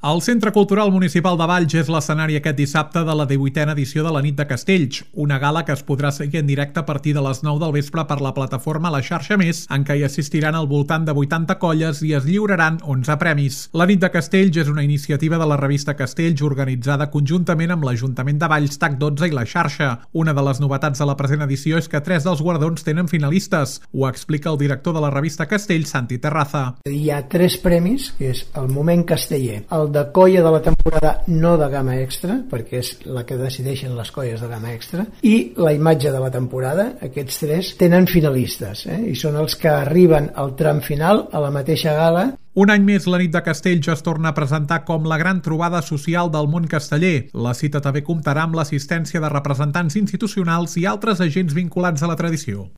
El Centre Cultural Municipal de Valls és l'escenari aquest dissabte de la 18a edició de la Nit de Castells, una gala que es podrà seguir en directe a partir de les 9 del vespre per la plataforma La Xarxa Més, en què hi assistiran al voltant de 80 colles i es lliuraran 11 premis. La Nit de Castells és una iniciativa de la revista Castells organitzada conjuntament amb l'Ajuntament de Valls, TAC12 i La Xarxa. Una de les novetats de la present edició és que 3 dels guardons tenen finalistes. Ho explica el director de la revista Castells, Santi Terraza. Hi ha 3 premis, que és el Moment Casteller, el de colla de la temporada no de gamma extra, perquè és la que decideixen les colles de gamma extra, i la imatge de la temporada. Aquests 3 tenen finalistes, i són els que arriben al tram final a la mateixa gala. Un any més, la Nit de Castells es torna a presentar com la gran trobada social del món casteller. La cita també comptarà amb l'assistència de representants institucionals i altres agents vinculats a la tradició.